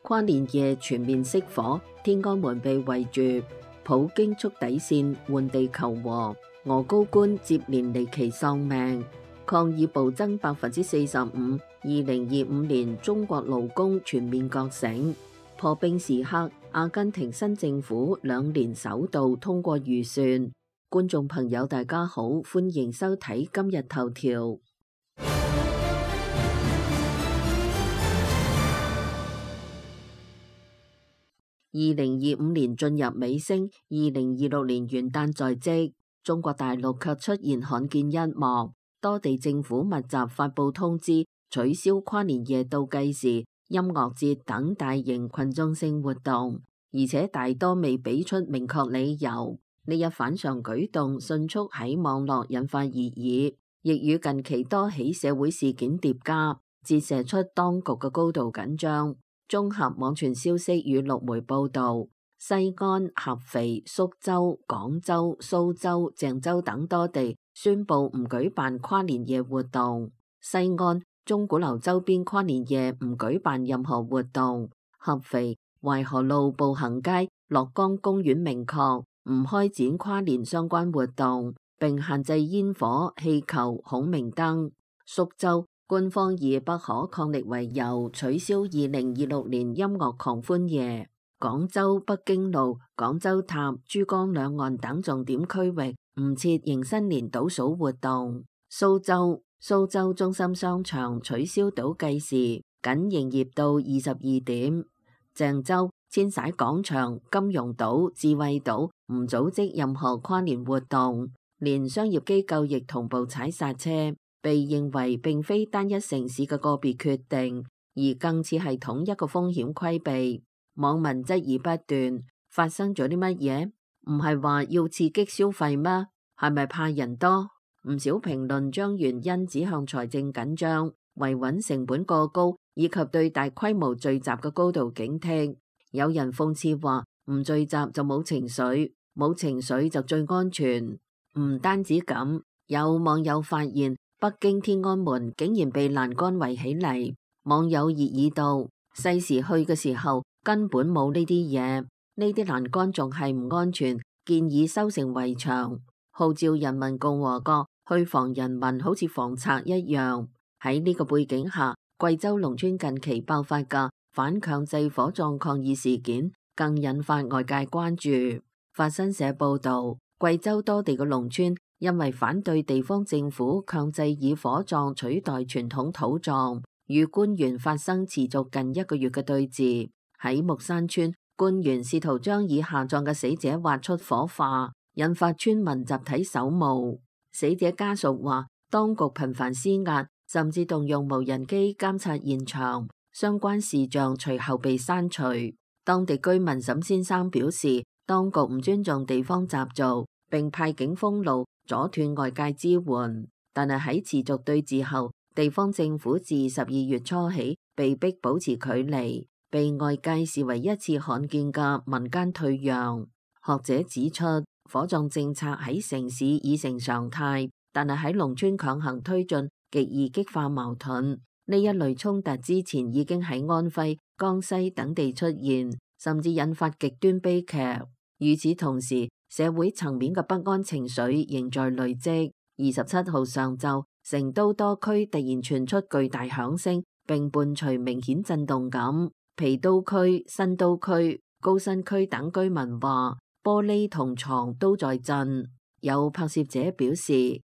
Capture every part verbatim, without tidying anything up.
跨年夜全面熄火，天安門被圍住，普京觸底線換地求和，俄高官接連離奇喪命，抗議暴增百分之四十五。二零二五年中國勞工全面覺醒，破冰時刻，阿根廷新政府兩年首度通過預算。觀眾朋友大家好，歡迎收睇今日頭條。二零二五年進入尾聲，二零二六年元旦在即，中國大陸卻出現罕見一幕，多地政府密集發佈通知，取消跨年夜倒計時、音樂節等大型群眾性活動，而且大多未俾出明確理由。呢一反常舉動迅速喺網絡引發熱議，亦與近期多起社會事件疊加，折射出當局嘅高度緊張。綜合網傳消息與陸媒報導，西安、合肥、蘇州、廣州、蘇州、鄭州等多地宣布唔舉辦跨年夜活動。西安、鐘鼓樓周邊跨年夜唔舉辦任何活動。合肥、淮河路步行街、樂江公園明確唔開展跨年相關活動，並限制煙火、氣球、孔明燈。蘇州官方以不可抗力為由取消二零二六年音樂狂歡夜。廣州北京路、廣州塔、珠江兩岸等重點區域唔設迎新年倒數活動。蘇州蘇州中心商場取消倒計時，僅營業到二十二點。鄭州千璽廣場、金融島、智慧島唔組織任何跨年活動，連商業機構亦同步踩剎車，被認為並非單一城市嘅個別決定，而更似係統一個風險規避。網民質疑不斷，發生咗啲乜嘢？唔係話要刺激消費咩？係咪怕人多？唔少評論將原因指向財政緊張、維穩成本過高，以及對大規模聚集嘅高度警惕。有人諷刺話：唔聚集就冇情緒，冇情緒就最安全。唔單止咁，有網友發現北京天安門竟然被欄杆圍起嚟，網友熱議道：細時去嘅時候根本冇呢啲嘢，呢啲欄杆仲係唔安全，建議修成圍牆，號召人民共和國去防人民好似防賊一樣。喺呢個背景下，貴州農村近期爆發嘅反強制火葬抗議事件更引發外界關注。法新社報道，貴州多地嘅農村因為反對地方政府強制以火葬取代傳統土葬，與官員發生持續近一個月嘅對峙。喺木山村，官員試圖將已下葬嘅死者挖出火化，引發村民集體守墓。死者家屬話，當局頻繁施壓，甚至動用無人機監察現場，相關視像隨後被刪除。當地居民沈先生表示，當局唔尊重地方習俗，並派警封路，阻斷外界支援。但係喺持續對峙後，地方政府自十二月初起被迫保持距離，被外界視為一次罕見嘅民間退讓。學者指出，火葬政策喺城市已成常態，但係喺農村強行推進，極易激化矛盾。呢一類衝突之前已經喺安徽、江西等地出現，甚至引發極端悲劇。與此同時，社會層面嘅不安情緒仍在累積。二十七號上晝，成都多區突然傳出巨大響聲，並伴隨明顯震動感。郫都區、新都區、高新區等居民話，玻璃同床都在震。有拍攝者表示，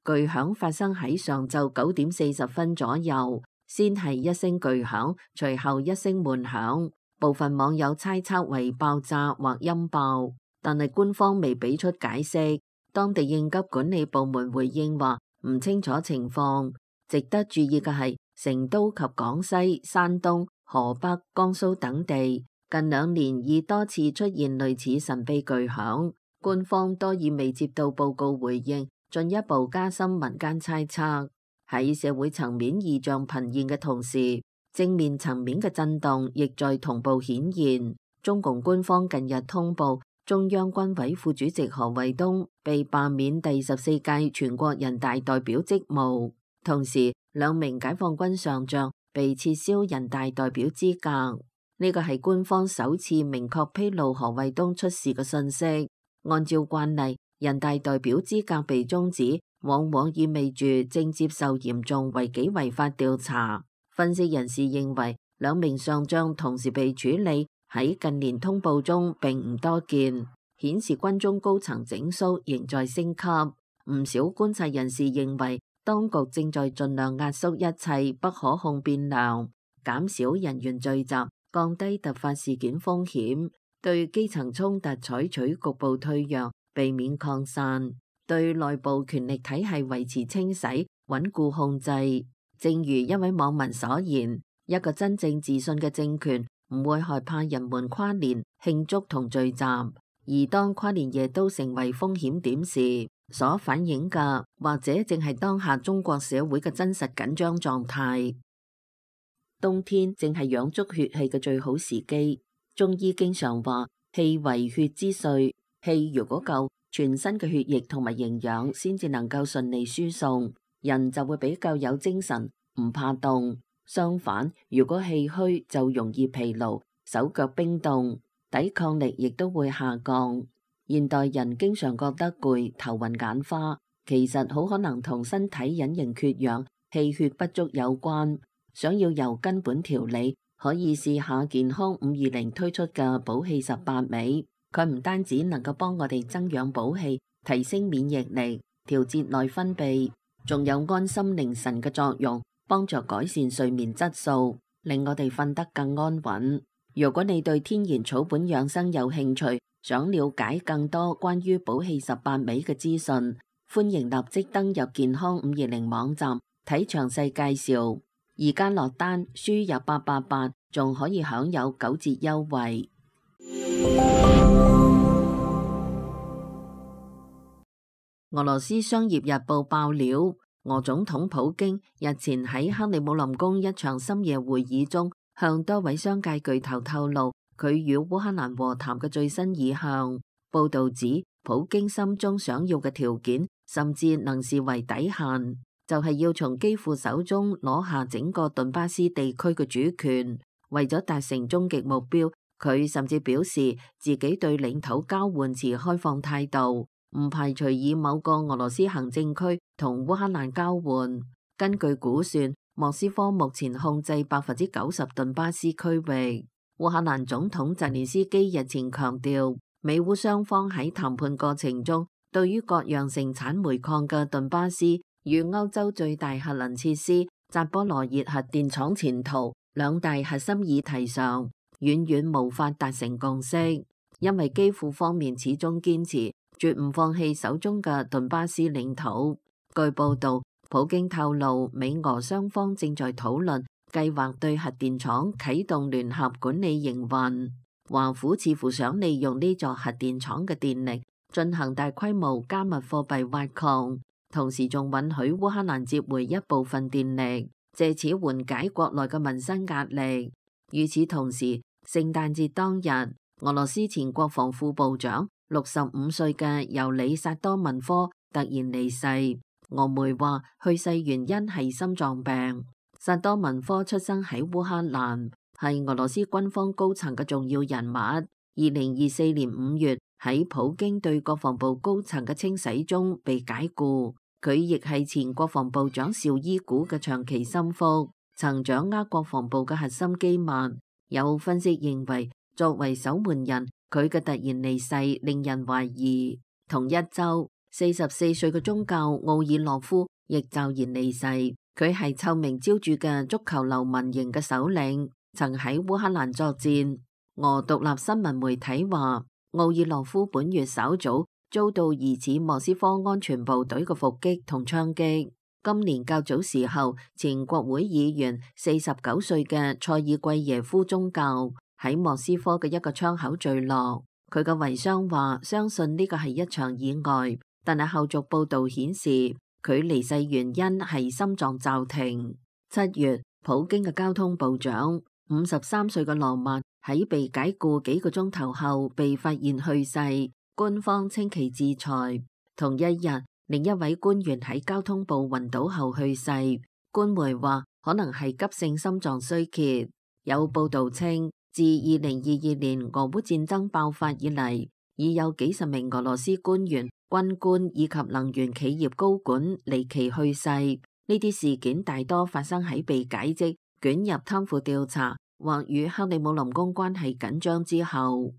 巨響發生喺上晝九點四十分左右，先係一聲巨響，隨後一聲悶響。部分網友猜測為爆炸或音爆，但係官方未俾出解釋。當地應急管理部門回應話唔清楚情況。值得注意嘅係，成都及廣西、山東、河北、江蘇等地近兩年已多次出現類似神秘巨響，官方多以未接到報告回應，進一步加深民間猜測。喺社會層面異象頻現嘅同時，正面層面嘅震動亦在同步顯現。中共官方近日通報，中央軍委副主席何衛東被罷免第十四屆全國人大代表職務，同時兩名解放軍上將被撤銷人大代表資格。呢個係官方首次明確披露何衛東出事嘅信息。按照慣例，人大代表資格被終止，往往意味住正接受嚴重違紀違法調查。分析人士認為，兩名上將同時被處理喺近年通報中並唔多見，顯示軍中高層整肅仍在升級。唔少觀察人士認為，當局正在盡量壓縮一切不可控變量，減少人員聚集，降低突發事件風險，對基層衝突採取局部退讓，避免擴散，對內部權力體系維持清洗，穩固控制。正如一位網民所言，一個真正自信嘅政權唔會害怕人們跨年慶祝同聚集，而當跨年夜都成為風險點時，所反映嘅或者正係當下中國社會嘅真實緊張狀態。冬天正係養足血氣嘅最好時機。中醫經常話氣為血之髓，氣如果夠，全身嘅血液同埋營養先至能夠順利輸送，人就會比較有精神，唔怕凍。相反，如果氣虛就容易疲勞，手腳冰凍，抵抗力亦都會下降。現代人經常覺得攰、頭暈眼花，其實好可能同身體隱形缺氧、氣血不足有關。想要由根本調理，可以試下健康五二零推出嘅補氣十八味。佢唔單止能夠幫我哋增養補氣、提升免疫力、調節內分泌，仲有安心寧神嘅作用，幫助改善睡眠質素，令我哋瞓得更安穩。如果你對天然草本養生有興趣，想了解更多關於補氣十八味嘅資訊，歡迎立即登入健康五二零網站睇詳細介紹。而家落單輸入八八八，仲可以享有九折優惠。俄羅斯商業日報爆料，俄總統普京日前喺克里姆林宮一場深夜會議中，向多位商界巨頭透露佢與烏克蘭和談嘅最新意向。報道指，普京心中想要嘅條件，甚至能視為底線，就係要從基輔手中攞下整個頓巴斯地區嘅主權。為咗達成終極目標，佢甚至表示自己對領土交換持開放態度，唔排除以某個俄羅斯行政區同烏克蘭交換。根據估算，莫斯科目前控制百分之九十頓巴斯區域。烏克蘭總統澤連斯基日前強調，美烏雙方喺談判過程中，對於各樣盛產煤礦嘅頓巴斯與歐洲最大核能設施扎波羅熱核電廠前途兩大核心議題上，遠遠無法達成共識，因為基輔方面始終堅持絕唔放棄手中嘅頓巴斯領土。據報道，普京透露，美俄雙方正在討論計劃對核電廠啟動聯合管理營運。華府似乎想利用呢座核電廠嘅電力進行大規模加密貨幣挖礦，同時仲允許烏克蘭接回一部分電力，借此緩解國內嘅民生壓力。與此同時，聖誕節當日，俄羅斯前國防副部長六十五歲嘅尤里薩多文科突然離世。俄媒話去世原因係心臟病。薩多文科出生喺烏克蘭，係俄羅斯軍方高層嘅重要人物。二零二四年五月喺普京對國防部高層嘅清洗中被解雇。佢亦係前國防部長紹伊古嘅長期心腹，曾掌握國防部嘅核心機密。有分析認為，作為守門人，佢嘅突然離世令人懷疑。同一周，四十四歲嘅宗教奧爾洛夫亦驟然離世。佢係臭名昭著嘅足球流氓營嘅首領，曾喺烏克蘭作戰。俄獨立新聞媒體話，奧爾洛夫本月稍早遭到疑似莫斯科安全部隊嘅伏擊同槍擊。今年較早時候，前國會議員四十九歲嘅塞爾季耶夫宗教喺莫斯科嘅一個窗口墜落。佢嘅遺孀話相信呢個係一場意外，但係後續報道顯示佢離世原因係心臟驟停。七月，普京嘅交通部長五十三歲嘅羅曼喺被解雇幾個鐘頭後被發現去世，官方稱其自裁。同一日，另一位官員喺交通部暈倒後去世，官媒話可能係急性心臟衰竭。有報道稱，自二零二二年俄烏戰爭爆發以嚟，已有幾十名俄羅斯官員、軍官以及能源企業高管離奇去世。呢啲事件大多發生喺被解職、捲入貪腐調查或與克里姆林宮關係緊張之後。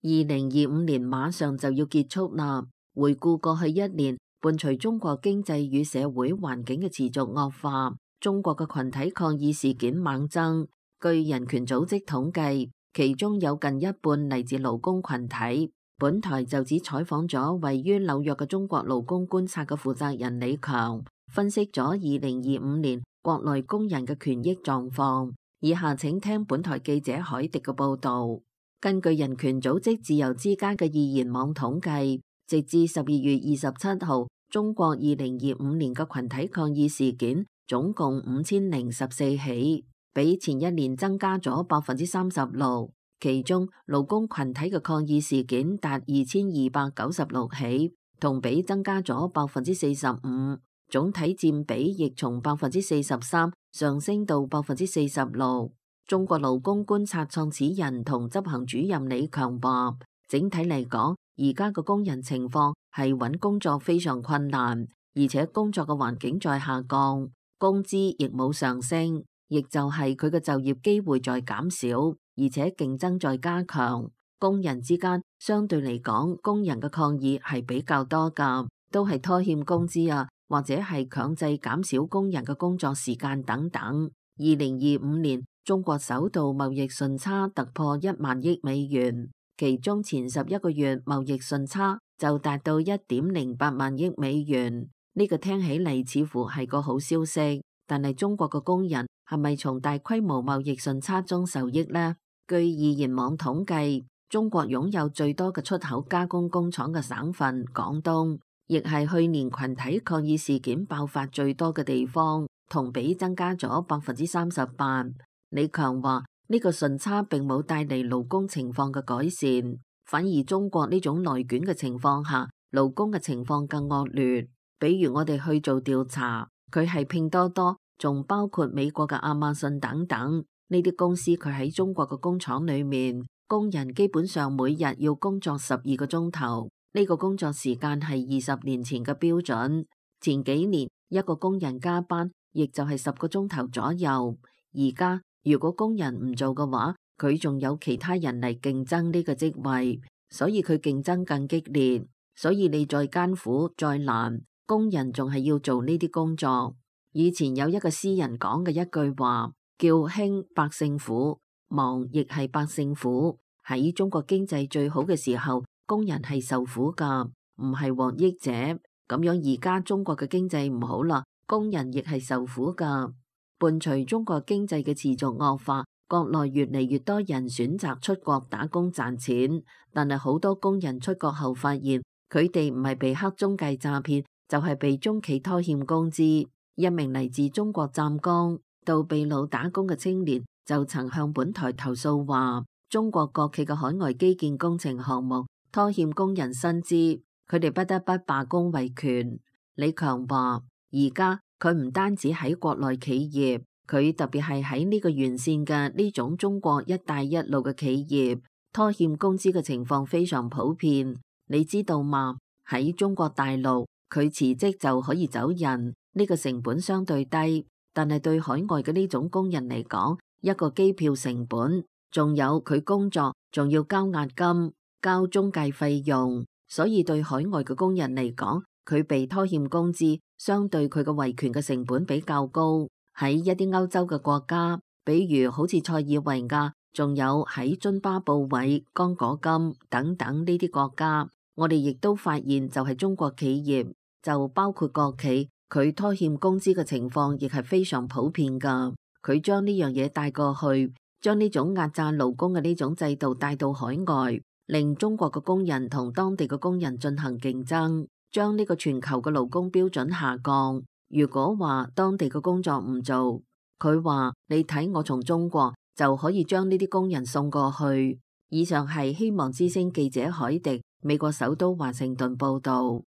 二零二五年馬上就要結束啦。回顧過去一年，伴隨中國經濟與社會環境嘅持續惡化，中國嘅群體抗議事件猛增。據人權組織統計，其中有近一半嚟自勞工群體。本台就只採訪咗位於紐約嘅中國勞工觀察嘅負責人李強，分析咗二零二五年國內工人嘅權益狀況。以下請聽本台記者海迪嘅報道。根據人權組織自由之家嘅易言網統計，直至十二月二十七號，中國二零二五年嘅群體抗議事件總共五千零十四起，比前一年增加咗百分之三十六。其中勞工群體嘅抗議事件達二千二百九十六起，同比增加咗百分之四十五，總體佔比亦從百分之四十三上升到百分之四十六。中國勞工觀察創始人同執行主任李強話，整體嚟講，而家嘅工人情況係揾工作非常困難，而且工作嘅環境在下降，工資亦冇上升，亦就係佢嘅就業機會在減少。而且競爭在加強，工人之間相對嚟講，工人嘅抗議係比較多㗎，都係拖欠工資啊，或者係強制減少工人嘅工作時間等等。二零二五年，中國首度貿易順差突破一萬億美元，其中前十一個月貿易順差就達到一點零八萬億美元。呢個聽起嚟似乎係個好消息，但係中國嘅工人係咪從大規模貿易順差中受益呢？據易言網統計，中國擁有最多嘅出口加工工廠嘅省份廣東，亦係去年群體抗議事件爆發最多嘅地方，同比增加咗百分之三十八。李強話：呢個順差並冇帶嚟勞工情況嘅改善，反而中國呢種內卷嘅情況下，勞工嘅情況更惡劣。比如我哋去做調查，佢係拼多多，仲包括美國嘅亞馬遜等等。呢啲公司佢喺中國嘅工廠裏面，工人基本上每日要工作十二個鐘頭，呢個工作時間係二十年前嘅標準。前幾年一個工人加班，亦就係十個鐘頭左右。而家如果工人唔做嘅話，佢仲有其他人嚟競爭呢個職位，所以佢競爭更激烈。所以你再艱苦再難，工人仲係要做呢啲工作。以前有一個詩人講嘅一句話，叫興百姓苦，忙亦係百姓苦。喺中國經濟最好嘅時候，工人係受苦噶，唔係獲益者。咁樣而家中國嘅經濟唔好啦，工人亦係受苦噶。伴隨中國經濟嘅持續惡化，國內越嚟越多人選擇出國打工賺錢。但係好多工人出國後發現，佢哋唔係被黑中介詐騙，就係被中企拖欠工資。一名嚟自中國湛江到秘魯打工嘅青年就曾向本台投訴話，中國國企嘅海外基建工程項目拖欠工人薪資，佢哋不得不罷工維權。李強話，而家佢唔單止喺國內企業，佢特別係喺呢個沿線嘅呢種中國一帶一路嘅企業，拖欠工資嘅情況非常普遍。你知道嗎？喺中國大陸，佢辭職就可以走人，呢個成本相對低。但係對海外嘅呢種工人嚟講，一個機票成本，仲有佢工作，仲要交押金、交中介費用，所以對海外嘅工人嚟講，佢被拖欠工資，相對佢嘅維權嘅成本比較高。喺一啲歐洲嘅國家，比如好似塞爾維亞，仲有喺津巴布韋、剛果金等等呢啲國家，我哋亦都發現就係中國企業，就包括國企，佢拖欠工資嘅情況亦係非常普遍噶。佢將呢樣嘢帶過去，將呢種壓榨勞工嘅呢種制度帶到海外，令中國嘅工人同當地嘅工人進行競爭，將呢個全球嘅勞工標準下降。如果話當地嘅工作唔做，佢話你睇我從中國就可以將呢啲工人送過去。以上係希望之聲記者海迪，美國首都華盛頓報道。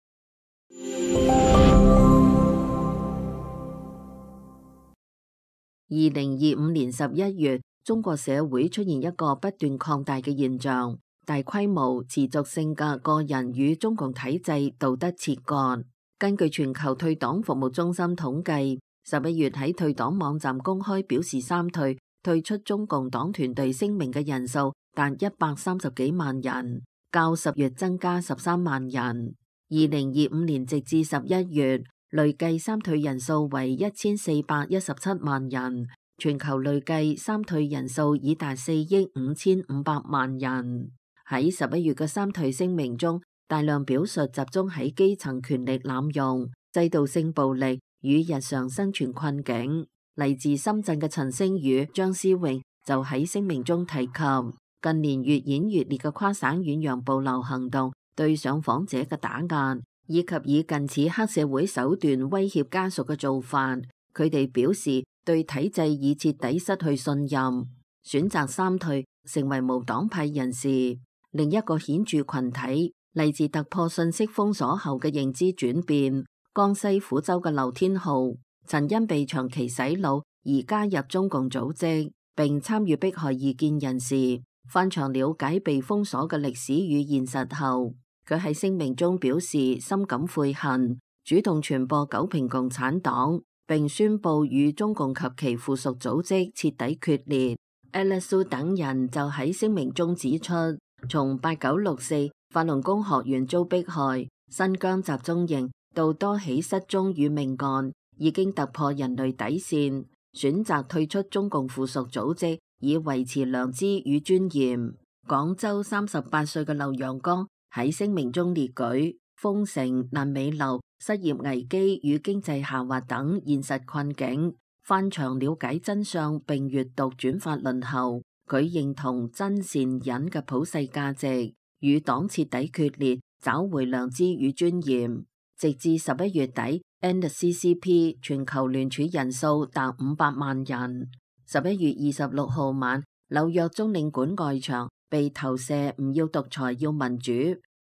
二零二五年十一月，中國社會出現一個不斷擴大嘅現象，大規模持續性嘅個人與中共體制道德切割。根據全球退黨服務中心統計，十一月喺退黨網站公開表示三退退出中共黨團隊聲明嘅人數達一百三十幾萬人，較十月增加十三萬人。二零二五年直至十一月，累計三退人數為一千四百一十七萬人，全球累計三退人數已達四億五千五百萬人。喺十一月嘅三退聲明中，大量表述集中喺基層權力濫用、制度性暴力與日常生存困境。嚟自深圳嘅陳星宇、張思穎就喺聲明中提及，近年越演越烈嘅跨省遠洋捕撈行動對上訪者嘅打壓，以及以近似黑社會手段威脅家屬嘅做法，佢哋表示對體制已徹底失去信任，選擇三退，成為無黨派人士。另一個顯著群體嚟自突破信息封鎖後嘅認知轉變，江西撫州嘅劉天浩曾因被長期洗腦而加入中共組織，並參與迫害異見人士。翻牆了解被封鎖嘅歷史與現實後，佢喺聲明中表示深感悔恨，主動傳播九評共產黨，並宣布與中共及其附屬組織徹底決裂。Alex 等人就喺聲明中指出，從八九六四法輪功學員遭迫害、新疆集中營到多起失蹤與命案，已經突破人類底線，選擇退出中共附屬組織，以維持良知與尊嚴。廣州三十八歲嘅劉陽剛喺聲明中列舉封城、爛尾樓、失業危機與經濟下滑等現實困境，翻牆了解真相並閱讀轉發論後，佢認同真善忍嘅普世價值，與黨徹底決裂，找回良知與尊嚴。直至十一月底 ，N C C P 全球聯署人數達五百萬人。十一月二十六號晚，紐約中領館外牆被投射唔要獨裁要民主、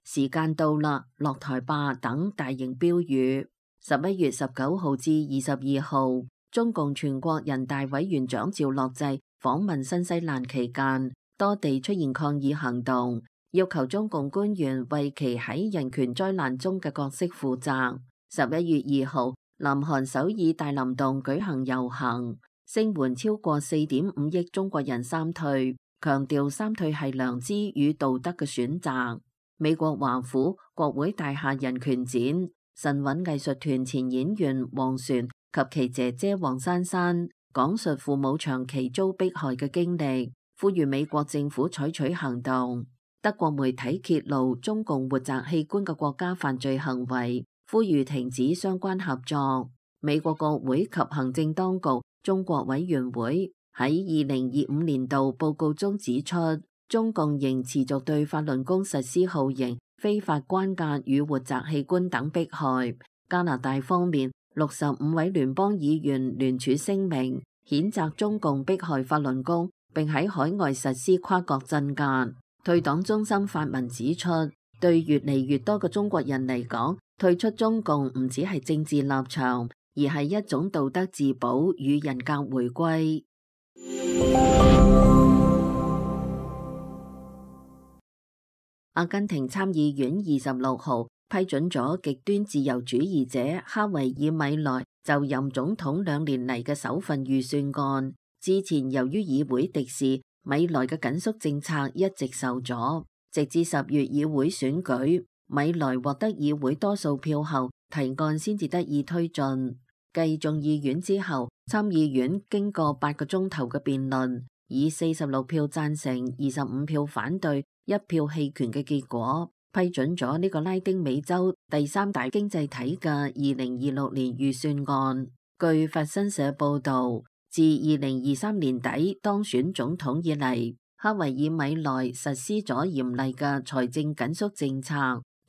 時間到啦、落台吧等大型標語。十一月十九號至二十二號，中共全國人大委員長趙樂際訪問新西蘭期間，多地出現抗議行動，要求中共官員為其喺人權災難中嘅角色負責。十一月二號，南韓首爾大林洞舉行遊行，聲援超過四點五億中國人三退，強調三退係良知與道德嘅選擇。美國華府國會大廈人權展，神韻藝術團前演員黃璇及其姐姐黃珊珊講述父母長期遭迫害嘅經歷，呼籲美國政府採取行動。德國媒體揭露中共活摘器官嘅國家犯罪行為，呼籲停止相關合作。美國國會及行政當局中國委員會喺二零二五年度報告中指出，中共仍持續對法輪功實施酷刑、非法關押與活摘器官等迫害。加拿大方面，六十五位聯邦議員聯署聲明，譴責中共迫害法輪功，並喺海外實施跨國鎮壓。退黨中心發文指出，對越嚟越多嘅中國人嚟講，退出中共唔只係政治立場，而係一種道德自保與人格回歸。阿根廷參議院二十六號批准咗極端自由主義者哈維爾米萊就任總統兩年嚟嘅首份預算案。之前由於議會敵視，米萊嘅緊縮政策一直受阻，直至十月議會選舉，米萊獲得議會多數票後，提案先至得以推進。繼眾議院之後，參議院經過八個鐘頭嘅辯論，以四十六票贊成、二十五票反對、一票棄權嘅結果，批准咗呢個拉丁美洲第三大經濟體嘅二零二六年預算案。據法新社報導，自二零二三年底當選總統以嚟，哈維爾米萊實施咗嚴厲嘅財政緊縮政策，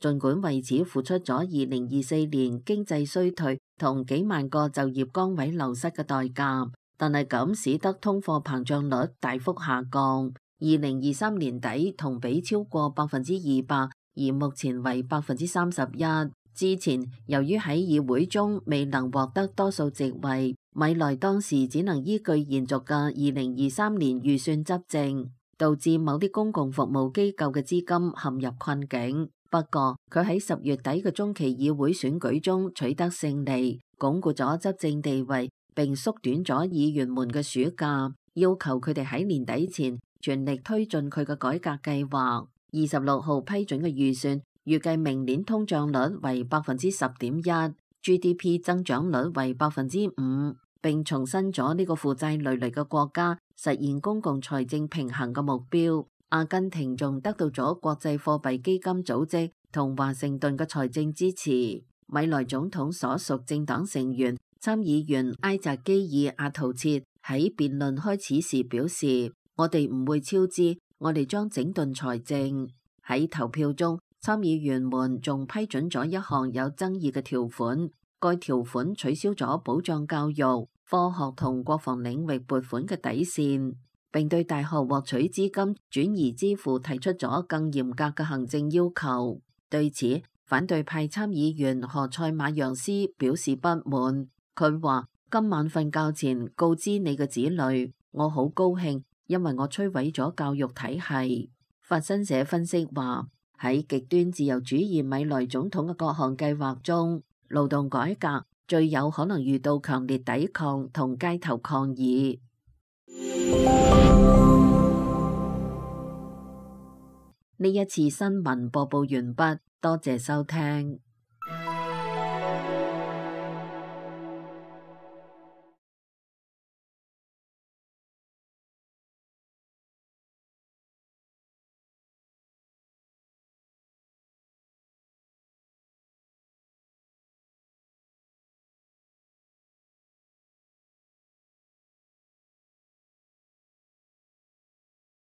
儘管為此付出咗二零二四年經濟衰退同幾萬個就業崗位流失嘅代價，但係咁使得通貨膨脹率大幅下降，二零二三年底同比超過百分之二百，而目前為百分之三十一。之前由於喺議會中未能獲得多數席位，米萊當時只能依據延續嘅二零二三年預算執政，導致某啲公共服務機構嘅資金陷入困境。不過佢喺十月底嘅中期議會選舉中取得勝利，鞏固咗執政地位，並縮短咗議員們嘅暑假，要求佢哋喺年底前全力推進佢嘅改革計劃。二十六號批准嘅預算預計明年通脹率為百分之十點一，G D P 增長率為百分之五，並重申咗呢個負債累累嘅國家實現公共財政平衡嘅目標。阿根廷仲得到咗國際貨幣基金組織同華盛頓嘅財政支持。米萊總統所屬政黨成員參議員埃扎基爾阿圖切喺辯論開始時表示：我哋唔會超支，我哋將整頓財政。喺投票中，參議員們仲批准咗一項有爭議嘅條款，該條款取消咗保障教育、科學同國防領域撥款嘅底線，並對大學獲取資金轉移支付提出咗更嚴格嘅行政要求。對此，反對派參議員何塞馬揚斯表示不滿。佢話：今晚瞓覺前告知你嘅子女，我好高興，因為我摧毀咗教育體系。法新社分析話，喺極端自由主義米萊總統嘅各項計劃中，勞動改革最有可能遇到強烈抵抗同街頭抗議。呢一次新聞播報完畢，多謝收聽。